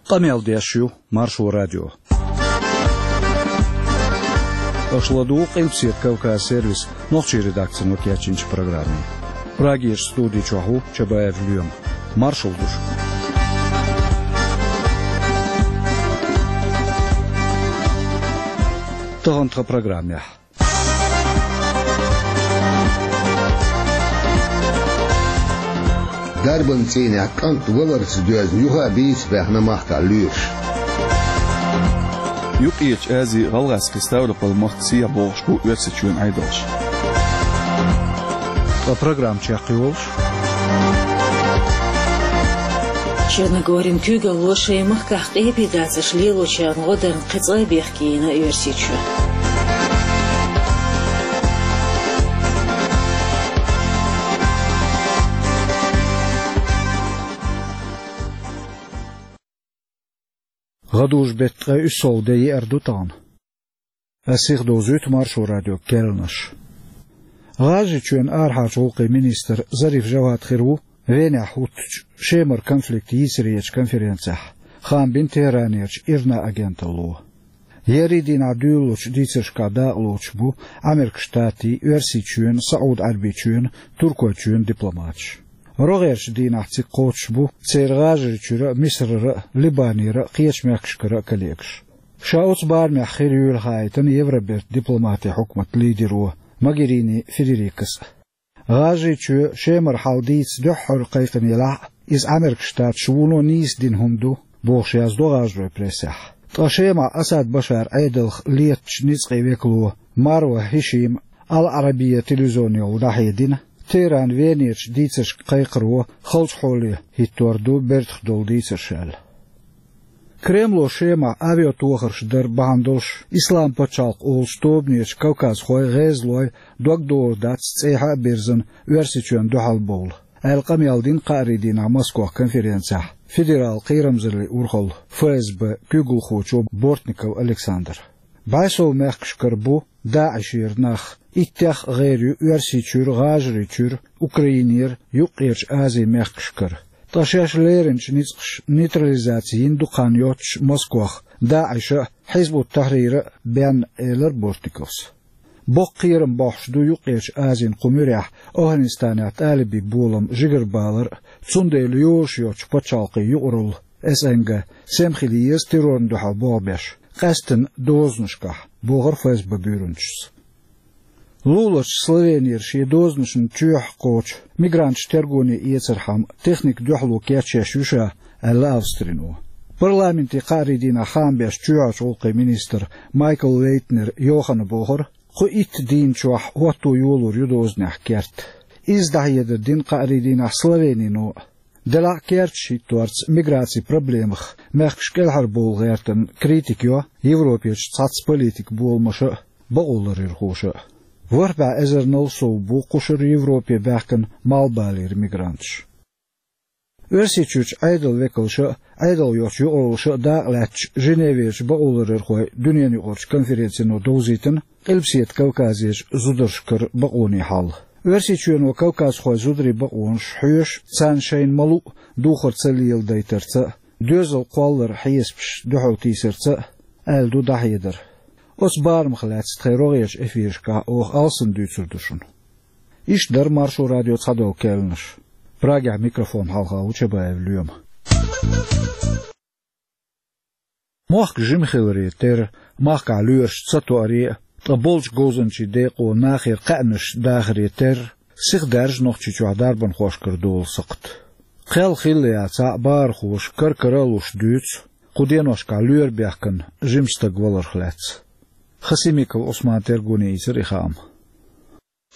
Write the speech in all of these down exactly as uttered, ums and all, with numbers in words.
Къамел деш ю Маршо радио. Аша ладугӀу Къилбаседа Кавказ сервисан нохчийн редакцино кечйинчу программе. Прагерчу студи чохь ву Чабаев Лоьма. Маршалла ду шуьга. Тахана тхан программехь. Дарбан цӀийнехь кӀант валарца доьзна юха а бийца баьхна махкахь лоьраш. Юккъерчу Азин, ГӀалгӀазкхийн, Ставрополь-махкан сехьа богӀуш бу Оьрсийчоьнан Ӏедалш. Ткъа программа чекхйолуш. Черногорин куьйгалло шайн махкахь къепе дацарш лелочарна гӀо дарна кхин цкъа а бехке йина Оьрсийчоь. ГӀадужу-беттан ткъе уьссалгӀа де еара ду тахана. Ас сихдовзуьйту Маршо радион керланаш. ГӀажарийчоьнан арахьарчу гӀуллакхийн министр Зариф Жавад хир ву Венехь хӀуттучу Шемара конфликт йийцаречу конференцехь, хаам бина Тегеранерчу ИРНА агенталло. Еарин дийнахь дуьйлалучу дийцаршкахь дакъалоцуш бу Америкин Штатийн, Оьрсийчоьнан, СаӀуд-Ӏаьрбийчоьнан, Туркойчоьнан дипломаташ. РогӀерчу дийнахь цига кхочуш бу церан ГӀажарийчуьра а, Мисарара а, Либанера а, кхечу мехкашкара а коллегаш. Ша оцу барамехь хир юйла хаийтина Евробертан дипломатийн хьукматан лидеро Могерини Федерикас а. ГӀажарийчоь Шемара хьал дийца дуьххьара кхайкхина елахь а, иза Америкин Штаташа вуно нийса дина хӀума ду, бохуш яздо гӀажаройн прессехь. Ткъа Шемахь Асад Башаран Ӏедалх летачу ницкъийн векало Марва ХӀишима Ал-Ӏарабия телевизионехула дӀахьедина, Тегеран Венерчу дийцаршка кхайкхаро халчу хьоле хӀиттор ду бертах долу дийцарш аьлла. Кремло Шемахь авиатохарш дар бахьана долуш Исламан пачхьалкх олучу тобанечу кавказхойн, гӀезалойн дог догӀур дац цӀехьа а бирзина Оьрсийчоьнна дуьхьал бовла, аьлла къамел дина кхаарин дийнахь Москвахь конференцехь федералан кхерамзаллин урхаллан, ФСБ, куьйгалхочо Бортников Александра. БӀе сов мехкашкара бу ДАИШера нах, иттех а гӀер ю Оьрсийчуьра, ГӀажарийчуьра, Украинера, Юккъерчу Азин мехкашкара. Ткъа шаьш леринчу ницкъаша нейтрализаци йина ду кхана йоццуш Москвахь ДАИШа а, Хьизбут-Тахьрира а бен, элира Бортниковс. Боккха кхерам бохьуш ду Юккъерчу Азин кху муьрехь Афганистанехь тӀалибийн болам жигарабалар а, цундела йозуш йоцчу пачхьалкхийн юкъаралла, СНГ, сема хила еза террорна дуьхьал болх беш, къаьсттина дозанашкахь, бохура ФСБ буьйранчас. Луларчу Словенера шен дозанашна чоьхьа кхочу мигранташ тергоне эцархьама техника дуьхьало кечъеш ю ша, аьлла Австрино. Парламентан кхаарин дийнахь хаам беш чоьхьарчу гӀуллакхийн министра Майкл Лейтнера Йоханна бохура, кху итт дийнна чохь хӀотто йолор ю дозанехь керт. Изза дӀахьедар дина кхаарин дийнахь Словенино а. Делахь а керташ хӀитторца миграцин проблемах мехкаш кӀелхьарбовла гӀертарна критика йо Европерчу цхьацца политикан боламаша а, бакъоларъярхоша а. ВорхӀ бӀе эзарнал сов бу кхушара Европе баьхкина малхбалера мигранташ. Оьрсийчуьрчу Ӏедалан векалша а, Ӏедал йоцчу юкъараллаша а дакъа лаьтташ Женеверчу бакъоларъярхойн дуьненаюкъарчу конференцино довзийтина Къилбаседа Кавказерчу зударшкара бакъонийн хьал. Оьрсийчоьно кавказхойн зударийн бакъонаш хьоьшу, царна шайна ма-луъу духар ца леладайтарца а, доьзал кхолларан хьесапаш дуьхьалтийсарца а, аьлла ду дӀахьедар. Оцу барамах лаьцна тхайн рогӀерчу эфирашкахь оха алсам дуьйцур ду шуна. Иштта дара Маршо радион цхьадолу керланаш. Прагехь микрофон хьалха ву Чабаев Лоьма. Мохк жима хиларе терра, махкахь лоьраш ца тоаре а, ткъа болчу говзанчийн декъо нахера кхаьънаш дахаре терра, сиха даьржа Нохчийчохь дарбанхошкара долу сакхт. Кхел хилла яцахь а, бахархоша кар-кара а луш дуьйцу кху деношкахь лоьра бехкан жима стаг валарх лаьцна. Хасимиков Ӏусмана тергоне йийцира и хаам.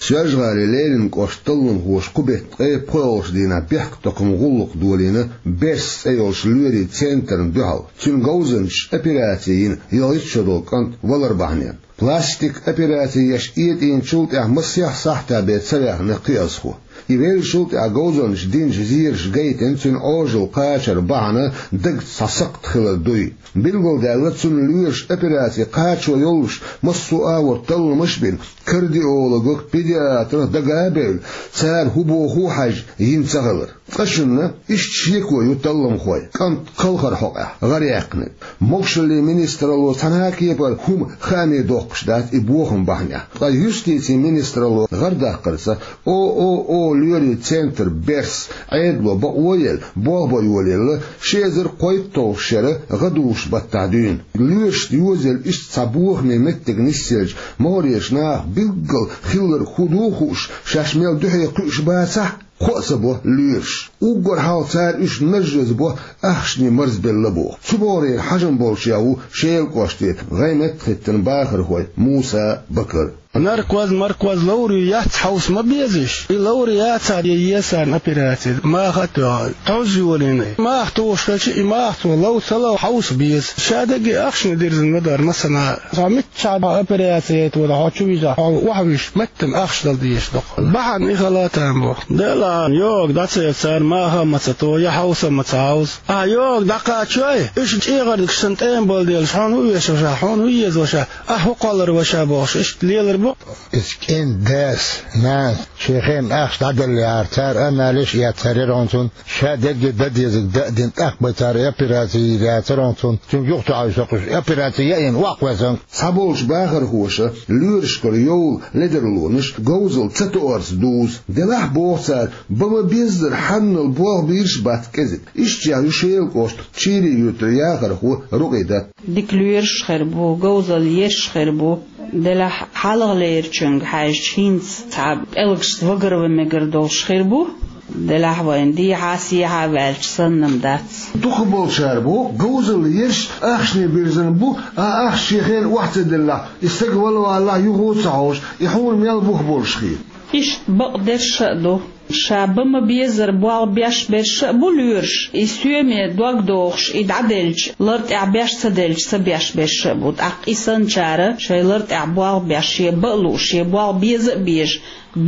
Соьлжа-ГӀалин Ленинан кӀоштан талламхоша кху беттан ткъе пхоьалгӀачу дийнахь бехктакхаман гӀуллакх долийна «Берс» цӀе йолчу лоьрийн центрна дуьхьал. Цуьнан говзанчаша операци йина ялхитта шо долу кӀант валар бахьанехь. Пластикан операци еш этӀийначул тӀаьхьа масех сахьтехь бен ца ваьхна кхиазхо. И веллачул тӀаьхьа говзанчаша динчу зераша гайтина цуьнан Ӏожалла кхачар бахьана дагца цхьа сакхт хилар дуй. Билгалдаьлла, цунна лоьраша операци кхачо йоллуш массо а агӀор талламаш а бина, кардиологах, педиатрах дага а бевлла, цара хӀун боху а хьаьжна, йина ца хилар. Ткъа шуна иштта шеко ю талламхой, кӀант кхалхар хьокъехь гӀар яьккхинарг. Могушаллин министралло цхьана а кепара хӀума хааме доккхуш дац и бохам бахьанехь. Ткъа юстицин министралло гӀар даккхарца, О О О лоьрийн центр «Берс» Ӏедало бакъо а елла, болх бан йолаелла, ши эзар кхойтталгӀачу шеран гӀадужу баттахь дуьйна. Лоьрашна йозаелла иштта цхьа бохаме меттиг нисъелча, могӀарерчу наха билггал хилларг хӀун ду а хууш, шаьш мел дуьхье кхуьуш бацахь а, кхоа ца бо лоьраш. Уггар хьалха цара уьш нажжаза бо, ахчанаш марзбелла боху. Цу бахарехь хьажам болчех ву Шелан кӀоштан гӀайметта хӀиттина бахархой Муса а, Бакар а. Наркоз, маркоз ловр ю, яц, хьовса ма беза уьш. И ловр яцахь, я еза царна операци, маха а тоьхна, тхьовза йолийна. Маха тухуш хилча, и маха цо лов ца лов, хьовса беза. Ша дерриге ахчанаш дирзина ма дара, масала, цхьа миччахь операци яйта вара, хьо чу вижахь, хьо охьавуьжуш, меттана ахча дала дезаш ду-кх. Бахьана и хила а там бу. Делахь, йогӀу дӀа ца еза цара, маха а ма ца то, я хьовса а ма ца хьовза. Ахь йогӀу дӀакхачой, уьш чӀегӀардигаш санна тӀема бала делаш, хьуна хӀун оьшу ваша, хьуна хӀун еза ваша, ахь хӀун кхоллар ваша бохуш, иштта лелар бу. Иза кӀентан дас, нанас шен хенахь ахча дӀаделлехьара, цара анализаш эцнарг яра хьуна цунна, ша дерриге дан дезарг дан а дина, тӀаккха бен цара операци йийр яцара хьуна цунна, цуьнга юха ца хьовсуш, операци яйина, охьакхоьссина. Цхьаболчу бахархоша лоьрашкара йовла ледарлонаш говзалла ца тоорца дузу. Делахь, боху цара, бан ма беззара хьанал болх бийраш а бац кӀезиг. Иштта ю Шелан кӀоштан Чийрин юьртара яхархо Рукъидат. Дика лоьраш а хир бу, говзалла ерш а хир бу. Делахь, хьалхалерчуьнга хьаьжча, хӀинца цхьа пӀелгашца вагар ван мегар долуш хир бу. Делахь, вайна дехьа а, сехьа а ваьлча санна-м дац. Дукхахболчара боху, говзалла ерш а ахчане бирзина бу, а ахча шен хенахь охьа ца деллехь, и стаг вала валахь, юха а ца хьовсуш, и хьуна мел бух болуш хета. Иштта бакъдерш а ду. Ша бан ма беззара болх беш берш а бу лоьраш, и соьме дог дохуш, и дӀаделча, лар тӀехь беш ца делча, ца беш берш а бу. ТӀаккха и санначара шайн лар тӀехь болх беш, шен бан а лууш, шен болх беза а безаш,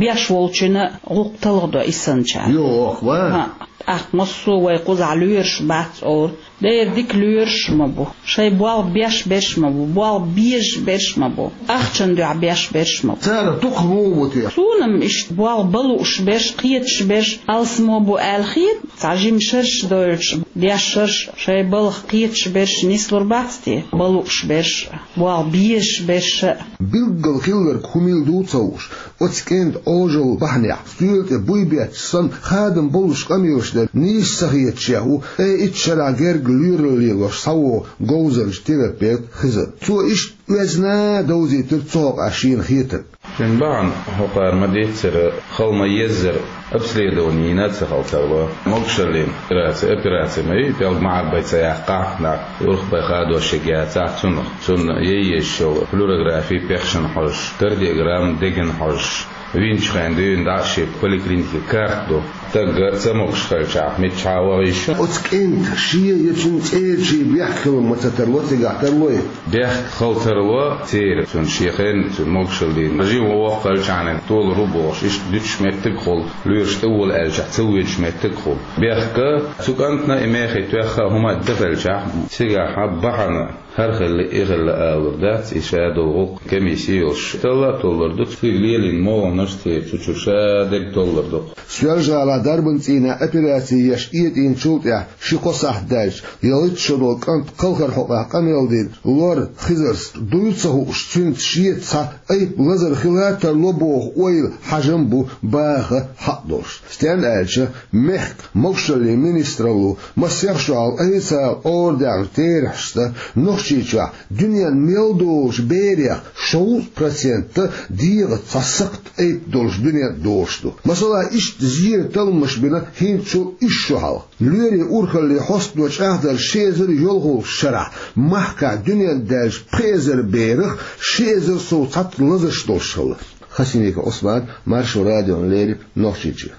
беш волчунна гӀуллакх талхадо и санначара. Йо, охьа. ХӀаъ, тӀаккха массо а вай кхузахь лоьраш бац олура. Дера дика лоьраш а ма бу, шайн болх беш берш а ма бу, болх безаш берш а ма бу, ахчанна дуьхьа беш берш а ма бу. Царах дукха муха бу те? Суна-м иштта болх бан лууш берш, кхеташ берш алсамо бу аьлла хета, цхьа жима шераш дойлуш, деш шераш, шайн балха кхеташ берш нислур бац те, бан лууш берш а, болх безаш берш а. Билггал хилларг хӀун мила ду ца хууш, оцу кӀентан Ӏожалла бахьанехь, стоьла тӀе буй бетташ санна, хадам боллуш къамелаш дерг нийса ца хеташ ву, ткъе итт шарахь герга лоьралла лелош схьавогӀу говзанча терапевт Хизар. Цо иштта оьзда а довзийтира цу хьокъехь шена хетарг. Шен бахьана хӀокхара ма-дийццара, хила ма-еззара обследование йина а ца хилла тарло. Могушаллин операци, операци ма ю, пӀелг ма Ӏарбай ца яккхахь, нах урхбай хадош яцахь цунах. Цунна яйъеш йолу флюорографи пехшна хьожуш, кардиограмма дегна хьожуш, винчу хенахь дуьйна дӀа а шен поликлиникин карта ду. Стаг ца могуш хилчахь, миччахьа ваха йиш ю? Оцу кӀентан шен я цуьнан цӀерачийн бехк хила ма ца тарло, цигахь тарло и? Бехк хила тарло церан, цуьнан шен хенахь, цуьнан могушаллина. Жима воккха хилчахьана толур ву бохуш, иштта дуьтуш меттиг а хуьлу, лоьраш тӀе вола аьллачохь ца воьдуш меттиг а хуьлу. Бехк а, цу кӀантана и мехий тоьхна хӀума а дан хилчахь, цигахь бахьана хӀара хилла, и хилла алур дац, и ша долу гӀуллакх комисси йолуш талла а толлур ду, цига лелийна могӀанаш а церан цу чуьра ша дерг толлур ду-кх. Соьлжа-ГӀалахь дарбан цӀийнехь операци еш этӀийначул тӀаьхьа ши-кхо сахьт даьлча, ялхитта шо долу кӀант кхалхар хьокъехь къамел дина Лор Хизарс дуй ца хууш, цуьнца шеца цхьа айпа лазар хила а тарло боху ойла, хьажам а бу баха хьакъ долуш. Стенна аьлча, мехкан могушаллин министралло масех шо хьалха официалан къора даьхначу терахьашца, Нохчийчохь дуьненна мел долучу берех шовзткъа процент дегӀаца цхьа сакхт айпа долуш дуьненна долуш ду. Масала, иштта зеран талламаш бина хӀинцачул исс шо хьалха. Лоьрийн урхаллин хьостано чӀагӀдарца, ши эзар йолхалгӀачу шарахь махкахь дуьненна даьллачу пхи эзар берах ши эзар сов цхьацца лазарш долуш хилла. Хасимиков Ӏусман, Маршо радиона леррина, Нохчийчоь.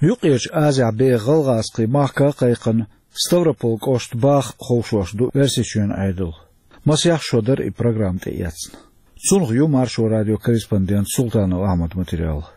Юккъерчу Азехь беха гӀалгӀазкхийн махка а кхайкхина, Ставрополь кӀоштан баха ховшош ду Оьрсийчоьнан Ӏедал. Масех шо дара и программа тӀеэцна. Цунах ю Маршо радион корреспондент Султанов Ахьмадан материал.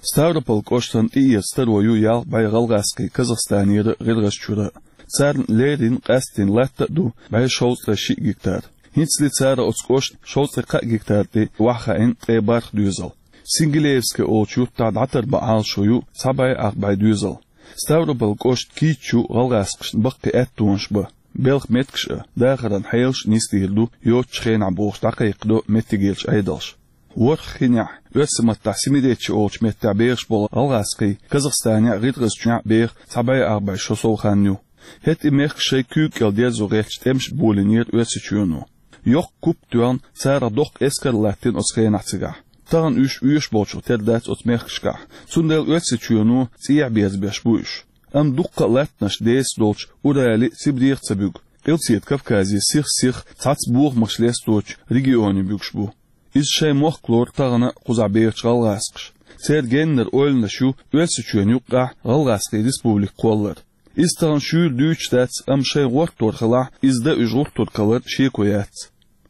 Ставрополь кӀоштан тӀеэца таро ю ялх бӀе гӀалгӀазкхий Казахстанера а, ГӀиргӀазчуьра а. Царна леррина къаьсттина латта а ду бӀе шовзткъе шиъ гектар. ХӀинцале цара оцу кӀоштан шовзткъе кхаа гектар тӀе охьахаийна ткъе бархӀ доьзал. Сингилеевское олучу юьртахь дӀатарбан Ӏалашо ю цхьа бӀе ах бӀе доьзал. Ставрополь кӀоштан кийчо гӀалгӀазкхашна баккхий аьттонаш ба. Белхан меттигаш а, дахаран хьелаш а нисдийр ду йоцачу хенахь бохуш дӀакхайкхадо меттигерчу Ӏедалша. ВорхӀ хинехь, оьрсийн маттахь Семиречье олучу меттехь бехаш болу гӀалгӀазкхий Казахстанехь а, ГӀиргӀазчохь а беха цхьа бӀе арбӀе шо сов хан ю. ХӀетте и мехкаш шайн куьйга кӀел дерзо гӀерташ тӀемаш а болийнера Оьрсийчоьно. Йоккха куп а тоьхна, царах доккха эскар а латтийна оцу хенахь цигахь. Тахана уьш оьшуш болчух тера дац оцу мехкашкахь, цундела Оьрсийчоьно цӀехьа берзабеш бу уьш. Амма дуккха а латтанаш деса долчу Урале а, Сибрех а ца буьгу, Къилбаседа Кавказе сих-сиха цхьацца бохамаш лесточу регионе буьгуш бу. Иза шайн мохк лору тахана кхузахь бехачу гӀалгӀазкхаша. Церан геннара ойланаш ю Оьрсийчоьнна юккъехь гӀалгӀазкхийн республика кхоллар. Иза тахана шуьйра дуьйцуш дац, амма шайн гӀортор хилахь, иза дан уьш гӀуртург хилар шеко яц.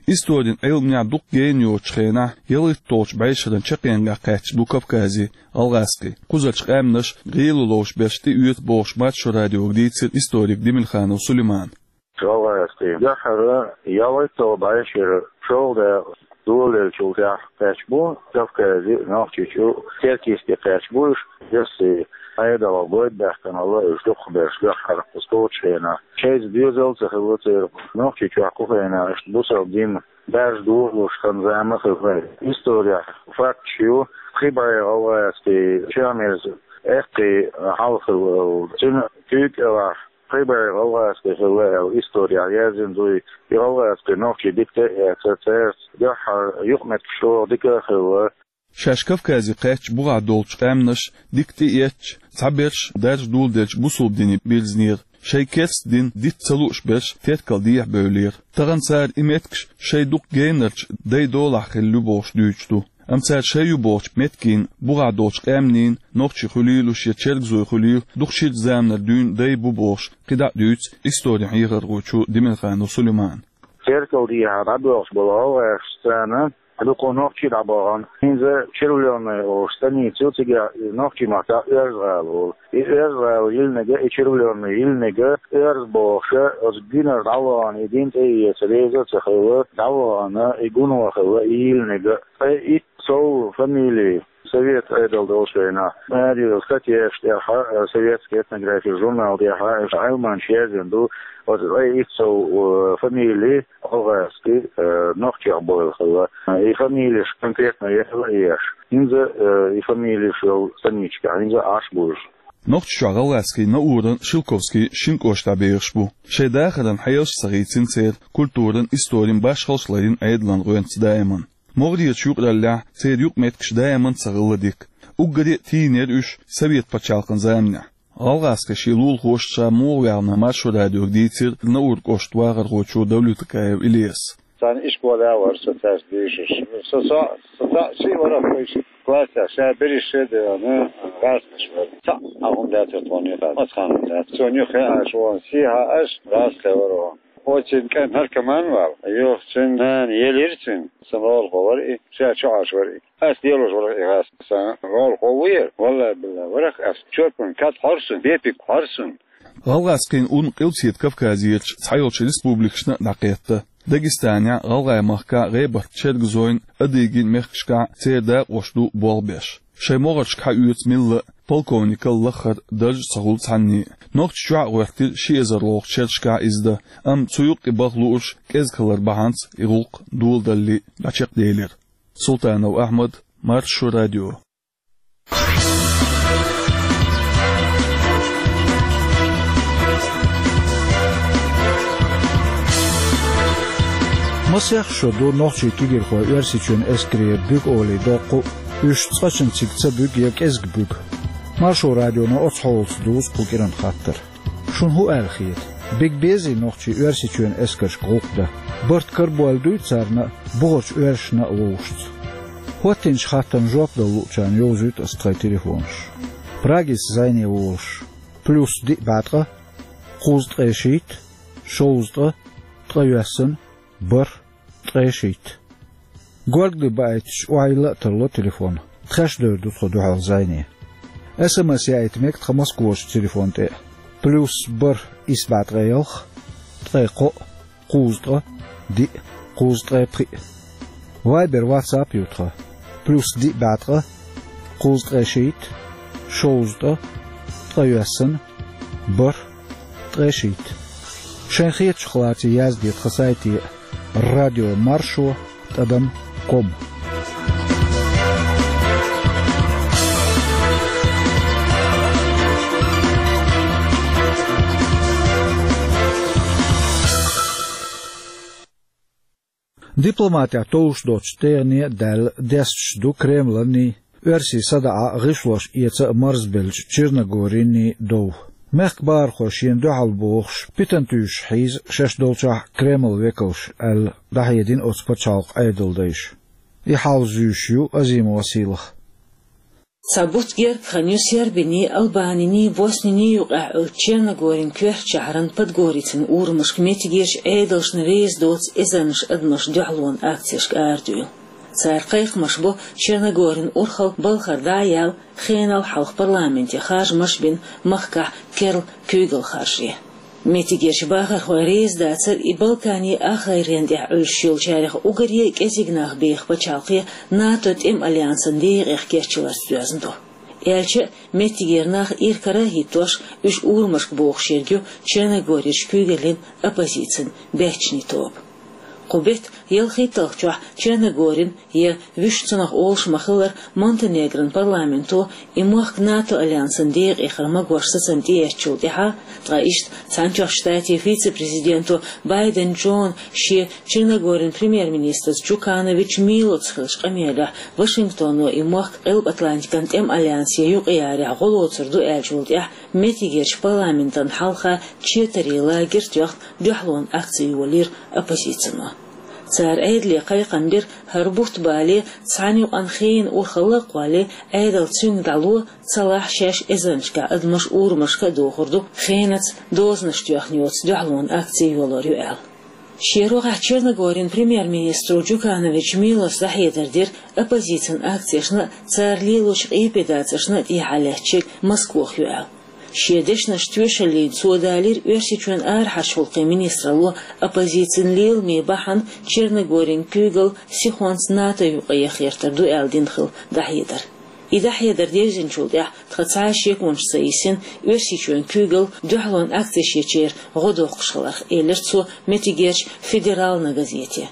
Историн Ӏилманехь дукха гена йоцучу хенахь, ялхитталгӀачу бӀешеран чаккхенгахь кхаьчна бу Кавказе гӀалгӀазкхий. Кхузарчу къаьмнаша гӀийла ловзуш берш тӀеоьцу бохуш, Маршо радиога дийцира историк Демильханов Сулеймана. ГӀалгӀазкхий дуьххьара ялхитталгӀа бӀешеран шолгӀа дакъа долалеллачул тӀаьхьа кхаьчна бу Кавказе, Нохчийчу, Теркйисте кхаьчна бу уьш. Оьрсийн Ӏедалах бойда баьккхина хилла уьш дукхахберш дуьххьара, кхуза кхочу хенахь. Шайца доьзал а ца хилла церан, Нохчийчохь кху хенахь иштта бусалба дин даржа догӀуш хан-зама а хилла. Исторехь факташ ю, пхи бӀе гӀалгӀазкхий чамерза эккхий хьал хилла. Цуьнан куьйга кӀелахь пхи бӀе гӀалгӀазкхий хилла аьлла исторехь яздина ду. И гӀалгӀазкхий нохчий дика тӀе а эцна, цаьрца дуьххьара юкъаметтигаш чӀогӀа дика а хилла. Шаьш Кавказе кхаьчча бухахь долчу къаьмнаш дика тӀеэцча, цхьаберш даржа доладелча бусалба дине бирзинера, шайн керста дин дита ца лууш берш теркал дехьа бевллера. Тахана цара и меттигаш шайн дукха генарчу дайн долахь хилла ю бохуш дуьйцуш ду. Амма цара шайн ю бохучу меттигийн, бухахь долчу къаьмнийн, нохчий хуьлийла уьш я чергазой хуьлийла, дукха ширачу заманара дуьйна дай бу бохуш, кхидӀа а дуьйцу историн хьехархочо Демильханов Сулеймана. Теркал дехьа дӀабоьлхуш болу гӀалгӀашца царна дукха нохчий дӀабахана. ХӀинца Червлённая олуш станица ю, цигахь и нохчийн маттахь Оьрза-ГӀала олу. И Оьрза-ГӀала йиллинарг а, и Червлённая йиллинарг а Оьрза бохуш, оцу гуьнара дӀавахана, и дин тӀеэца реза а ца хилла, дӀавахана, и гуно хилла, и йиллинарг а. Ткъе итт сов фамили совет Ӏедал долчу хенахь, маре статьяш тӀехь, э, «Советская этнография» журнал тӀехь, э, Ӏилманчаша яздина ду, оцу ткъе итт сов, э, фамили гӀалгӀазкхий, э, нохчех бевлла хилла. И фамилеш конкретно яла а еш, хӀинца, э, и фамилеш йолу станичкахь хӀинца а Ӏаш бу уьш. Нохчийчохь гӀалгӀазкхий Науран, Шелковскийн шина кӀоштахь бехаш бу. Шайн дахаран хьелаш а ца хийцина церан, культуран, историн башхаллаш ларйина Ӏедалан гӀоьнца даиман. МогӀарерчу юкъараллехь церан юкъаметтигаш даиман ца хилла дика. Уггаре а тийнера уьш совет пачхьалкхан заманехь. ГӀалгӀазкхийн шен лулахошца ша муха ваьхна Маршо радиога дийцира Науран кӀоштан вахархочо Давлетакаев Илеса. Царна ишколехь а вара со цаьрца дийшуш. Со, со, со цхьаъ шиъ вара вайша классехь, ша берриш шен а девлла, гӀазкхаш вара. Цхьаъ а хӀума дацара тхуна юххе, маца хан хӀума дац. Цунна юххе а аша вон, сехьа аша гӀазкхе вара вон. Оццуьнан кӀант наркоман вала, юха цуьнан нана елира цуьнан. Сан гӀолахо вара и, ша чу Ӏаш вара и. Ас лелош вара и гӀазкх, сан гӀолахо ву яра. Валлай-биллай, варах ас чорпан кад хьорсун, бепиг хьорсун. ГӀалгӀазкхийн ун Къилбаседа Кавказерчу цхьайолчу республикашна а дӀакхетта. Дагестанехь, ГӀалгӀай махкахь, ГӀебарта-Чергазойн, Адыгин мехкашкахь церан дакъош ду болх беш. Шайн могӀаршка хьаоьцу милла а, полковникал лаххара дарж а ца хуьлу цхьанне. Нохчийчохь а гӀоьртира ши эзар лолгӀачу шерашкахь иза дан, амма цу юккъе баха луурш кӀезиг хилар бахьанца и гӀуллакх доладалале дӀачекхделира. Султанов Ахьмад, Маршо радио. Масех шо ду нохчийн кегийрхой Оьрсийчоьнан эскаре буьгу олий доккху, уьш цкъачунна цига ца буьгу я кӀезиг буьгу. Маршо радионо оцу хьолаца дузу кху кӀиранан хаттар. Шуна хӀун аьлла хета? Биг безий нохчий Оьрсийчоьнан эскаршка гӀуллакх дан? Барт карабойлла дуй царна а, бухарчу оьрсашна а вовшашца? ХӀоттийначу хаттарна жоп дала луучарна йовзуьйту ас тхайн телефонаш. Прагица зайне волуш: плюс диъ бӀе ткъа, кхузткъе шийтта, шовзткъа, ткъайоьсна, бархӀ, ткъе шийтта. Горгали баийтича, охьайилла а тарло телефон. Тхаьш девр ду тхо дуьхьал зайне. СМС яийта мега тхан Москварчу телефон тӀе а: плюс бархӀ исс бӀе ткъе ялх, ткъе кхоъ, кхузткъа, диъ, кхузткъе пхиъ. Вайбер, ватсап ю тхан: плюс диъ бӀе ткъа, кхузткъе шийтта, шовзткъа, Ткъе йоьссана, бархӀ, ткъе шийтта. Шайн хетачух лаций язде тхан сайте радио маршо тӀадам ком. Дипломатехь товш доцчу тӀегӀане а даьлла, десташ ду Кремланий, оьрсий садаӀа гӀишлош эца а марзбеллачу Черногориний дов. Мехкан бахархой шена дуьхьал бохуш, питана туьйсуш хьийза шаьш долчохь Кремлан векалш аьлла, дӀахьедина оцу пачхьалкхан Ӏедалан дайша. И хьал зуьйш ю Азимова Сийлаха. Цхьа бутт гергга хан ю Сербиний, Албаниний, Босниний юкъахь Черногорин коьртачу шахьаран Подгорицын урамашка меттигерчу Ӏедалшна реза доцу эзарнаш адамаш дуьхьалонан акцешка арадуьйла. Цара кхайкхамаш бо Черногорин урхалла балхара дӀа а яьлла, хенал хьалха парламенте харжамаш а бина, махкахь керла куьйгалла харжо. Меттигерчу бахархой реза дацара и Балканийн ахгӀайренна тӀехь Ӏуьллуш йолчарех уггаре а кӀезиг нах беха пачхьалкхе НАТО тӀеман альянсан декъех кечйаларца доьзна ду. Аьлча а, меттигера нах иракарахӀиттош, уьш урамашка богӀуш ерг ю Черногорерчу куьйгаллин оппозицин баьччанийн тоба. Кху беттан ялхитталгӀачохь Черногорин, я, вуьшта цунах олуш ма-хиллара, Монтенегрон парламенто и мохк НАТО альянсан декъехьара магош сацам тӀеэцначул тӀаьхьа, ткъа иштта Цхьаьнатоьхначу Штатийн вице-президенто Байден Джона шен Черногорин премьер-министрца Джуканович Милоца хиллачу къамелехь Вашингтоно и мохк Къилба-Атлантикан тӀеман альянсе юкъаярехь гӀо лоцур ду аьллачул тӀаьхьа, меттигерчу парламентан хьалха четарийн лагерь тоьхна дуьхьалонан акци йолийра оппозицино. Цара Ӏедале кхайкхам бира, хӀара бутт бале, цхьана юкъана хенан урхалла а кхолле, Ӏедал цуьнга дӀало, ца лахь шаьш эзарнашкахь адамаш урамашка а дохур ду, хенаца дозанаш тоьхна йоцу дуьхьалонан акци йолор ю аьлла. Шен рогӀехь Черногорин премьер-министро Джуканович Милоса дӀахьедар дира оппозицин акцешна а, цара лелочу къепедацаршна а тӀехьа лаьттачу Москох ю аьлла. Шен дешнаш тоьшаллина цо далийра Оьрсийчоьнан арахьарчу гӀуллакхийн министралло оппозицин леламе бахьана Черногорин куьйгалла сихонца НАТО юкъа яха гӀертар ду аьлла дина хилла дӀахьедар. И дӀахьедар девзинчул тӀаьхьа тхан цхьа а шеконаш ца йисина, Оьрсийчоьнан куьйгалла дуьхьалонан акцешечеран гӀо доккхуш хиларх, элира цо меттигерчу «Федеральна» газете.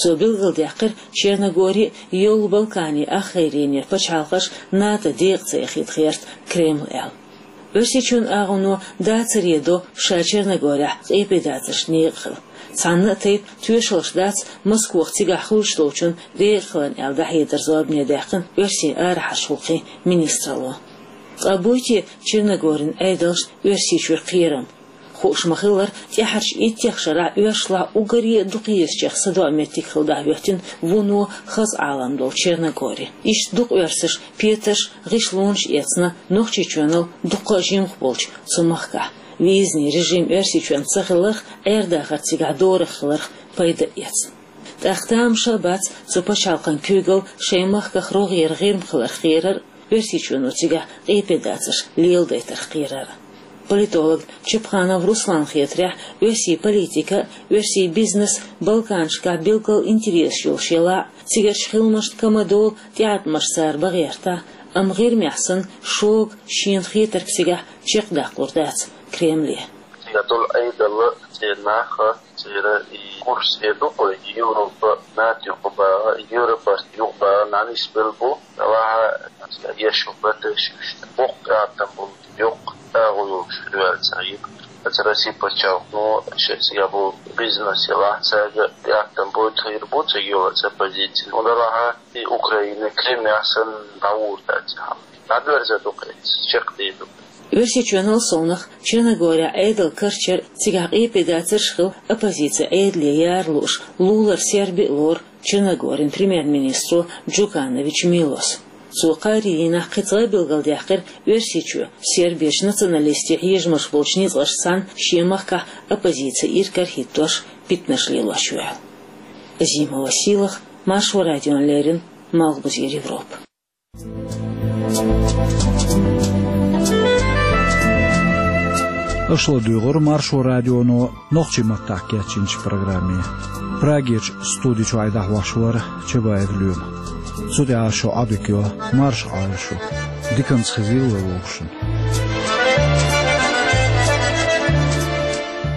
Цо билгалдаьккхира, Черногори а, йолу Балканийн ахгӀайренера пачхьалкхаш НАТО декъа ца яхийта гӀерта Кремль аьлла. Оьрсийчоьнан агӀоно дацаре до ша Черногорехь къепедацаршна некъа хила. Цхьанна а тайпа тоьшаллаш дац Москох цигахь хуьлуш долчунна декъахиларна аьлла дӀахьедар зорбане даьккхина оьрсийн арахьарчу гӀуллакхийн министралло. Ткъа буй те Черногорин Ӏедалшна Оьрсийчуьра кхерам? Хууш ма-хиллара, тӀаьхьарчу иттех шарахь оьрсашлахь уггаре а дукхаезачех садоӀу меттиг хила дӀахӀоьттина вуно хаза Ӏалам долу Черногори. Иштта дукха оьрсаша петарш, гӀишлонаш эцна Нохчийчоьнал дуккха а жимах болчу цу махкахь. Визный режим Оьрсийчоьнца ца хиларх, Ӏер-дахар цигахь дорах хиларх пайда а эцна. ТӀаккха тамаша а бац цу пачхьалкхан куьйгалла шайн махках рогӀера ГӀирма хиларх кхерар а, Оьрсийчоьно цигахь къепедацарш леладайтарх кхерар а. Политолог Чапханов Русланна хетарехь, оьрсийн политика а, оьрсийн бизнес а Балканашкахь билггал интересаш йолуш елахь а, цигарчу хиламашна кама-дола тӀеӀаткъамаш цара бан гӀертахь а, амма ГӀирмехь санна шога шена хетарг цигахь чекхдаккхалур дац Кремле. Цигахь долу Ӏедал а, церан нах а, церан и курс хир ду-кх вай, Европа, НАТО юкъа баха, Европас юкъа баха, нанис бел бу, талаха, еш ю бандеш, боккха атам болу, йоккха агӀо йолуш хир ваьлла ца хир. Аса Россия пачхьалкхо, шен цигахь болу бизнес ялахь, цаьрга атам бойта хир бу, ца йола ца позиция. Уна лаха, и Украина, Крым яхсан дӀавур дац хьал. ДӀадоьрза ду-кх, чекхдийр ду-кх. Оьрсийчоьнал совнах Черногорехь Ӏедал карчар, цигахь къепедацарш хила оппозици Ӏедале яра лууш, лулара серби а лору Черногорин премьер-министро Джуканович Милос. Цо кхаарин дийнахь кхин цкъа а билгалдаьккхира, Оьрсийчоь серберчу националистийн хьежамаш болчу ницкъашца цхьаьна шен махкахь оппозици иракарахӀиттош, питанаш лелош ю аьлла. Азимова Сийлаха, Маршо радиона леррина, Малхбузера Европа. Аша ладуьйгӀура Маршо радионо нохчийн маттахь кечйинчу программе. Прагерчу студи чуьра дӀахьош вара Чабаев Лоьма. Цу тӀехь ас шух Ӏодика йо, марша Ӏойла шу. Диканца хезийла вай вовшашна.